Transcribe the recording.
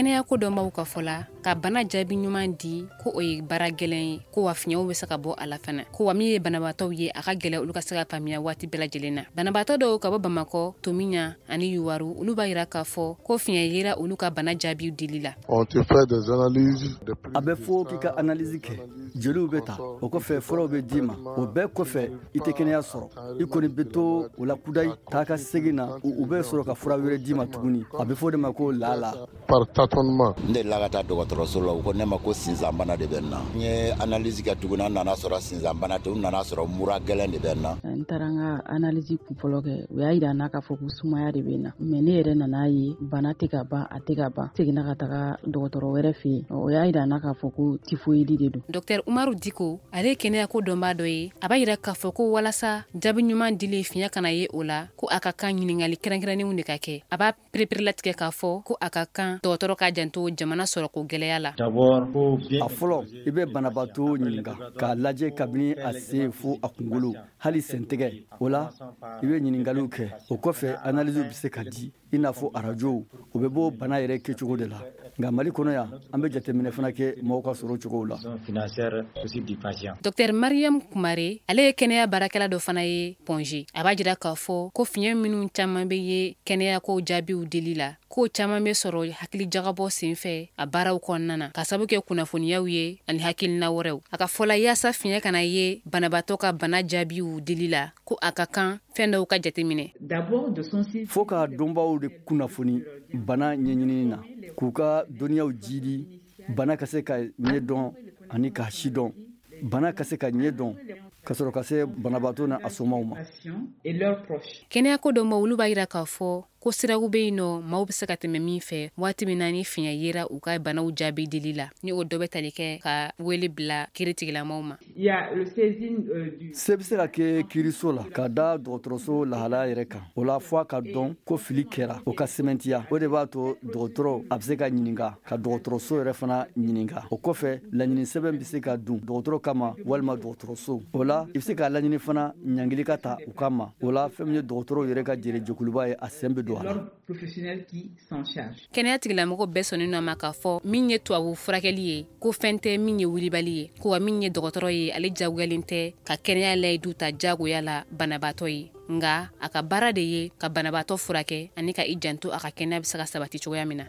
Kɛnɛya ko dɔnbaw ka fɔ la, ka bana jaabi ɲuman di, ko o ye baara gɛlɛn ye, ko wa fiɲɛw bɛ se ka bɔ a la fana, ko wa min ye banabaatɔw ye, a ka gɛlɛn olu ka se ka faamuya waati bɛɛ lajɛlen na. Banabaatɔ dɔw ka bɔ Bamakɔ, Tomiɲa ani Yuwaru, olu b'a yira k'a fɔ ko fiɲɛ yera olu ka bana jaabiw dili la. A bɛ fɔ k'i ka analyse kɛ, joliw bɛ ta, o kɔfɛ furaw bɛ d'i ma, o bɛɛ kɔfɛ i tɛ kɛnɛya sɔrɔ, i kɔni bɛ to o la kudayi, taa ka segin na, u bɛ sɔrɔ ka fura wɛrɛ d'i ma tuguni, a bɛ fɔ o de ma ko lala. Par tâtonnement. N delila ka taa dɔgɔtɔrɔso la, u ko ne ma ko sinsanbana de bɛ n na. N ye analyse kɛ tuguni, an nana sɔrɔ sinsanbana tɛ, u nana sɔrɔ mura gɛlɛn de bɛ n na. N taara n ka analyse kunfɔlɔ kɛ, u y'a yira n na k'a fɔ ko sumaya de bɛ n na, mais ne yɛrɛ nana ye bana tɛ ka ban, a tɛ ka ban. Seginna ka taga dɔgɔtɔrɔ wɛrɛ fɛ yen, o y'a yira n na k'a fɔ ko tifoyidi de don. Dr Umaru Diko, ale ye kɛnɛyako dɔnbaa dɔ ye, a b'a yira k'a fɔ ko walasa jaabi ɲuman dili fiɲɛ kana ye o la, ko a ka kan ɲininkali kɛrɛnkɛrɛnnenw de ka kɛ. A b'a pereperelatigɛ k'a fɔ ko a ka kan dɔgɔtɔrɔ ka janto jamana sɔrɔko gɛlɛya la. A fɔlɔ, i bɛ banabaatɔ ɲininka k'a lajɛ kabini a sen fo a kunkolo, hali sentigɛ. O la i bɛ ɲininkaliw kɛ, o kɔfɛ analyse bɛ se ka di, i n'a fɔ arajow, o bɛ bɔ bana yɛrɛ kɛcogo de la. Nka Mali kɔnɔ yan, an bɛ jateminɛ fana kɛ mɔgɔw ka sɔrɔ cogo la. Dr Mariam Kumare, ale ye kɛnɛya baarakɛla dɔ fana ye Pɔnze. A b'a jira k'a fɔ ko fiɲɛ minnu caman bɛ ye kɛnɛyako jaabiw dili la, k'o caman bɛ sɔrɔ hakili jagabɔ senfɛ a baaraw kɔnɔna na, ka sababu kɛ kunnafoniyaw ye ani hakilina wɛrɛw. A ka fɔ la, yaasa fiɲɛ kana ye banabaatɔ ka bana jaabiw dili la, ko a ka kan fɛn dɔw ka jateminɛ. Fo ka dɔnbaw de kunnafoni bana ɲɛɲinini na, k'u ka dɔnniyaw jidi, bana ka se ka ɲɛdɔn ani k'a sidɔn, bana ka se ka ɲɛdɔn ka sɔrɔ ka se banabaatɔ n'a somaw ma. Kɛnɛyako dɔnbaw, olu b'a yira k'a fɔ ko siraw bɛ yen nɔ, maaw bɛ se ka tɛmɛ min fɛ waati min na ni fiɲɛ yera u ka banaw jaabi dili la, ni o dɔ bɛ tali kɛ ka wele bila kiiritigilamaw ma. Se bɛ se ka kɛ kiiriso la ka da dɔgɔtɔrɔso lahalaya yɛrɛ kan. O la, fo a ka dɔn ko fili kɛra, o ka sɛmɛntiya. O de b'a to dɔgɔtɔrɔ a bɛ se ka ɲininka, ka dɔgɔtɔrɔso yɛrɛ fana ɲininka. O kɔfɛ, laɲini sɛbɛn bɛ se ka dun dɔgɔtɔrɔ kama walima dɔgɔtɔrɔso. O la i bɛ se k'a laɲini fana ɲangili ka ta u kama. O la, fɛn min ye dɔgɔtɔrɔw yɛrɛ ka jɛrɛjɛkuluba ye, a sen bɛ don a la. Kɛnɛya tigilamɔgɔ bɛɛ sɔnnen a ma k'a fɔ min ye tubabu furakɛli ye, ko fɛn tɛ min ye wulibali ye, ko wa min ye dɔgɔtɔrɔ ye, ale jagoyalen tɛ ka kɛnɛya layidu ta jagoya la banabaatɔ ye, nka a ka baara de ye ka banabaatɔ furakɛ ani ka i janto a ka kɛnɛya bɛ se ka sabati cogoya min na.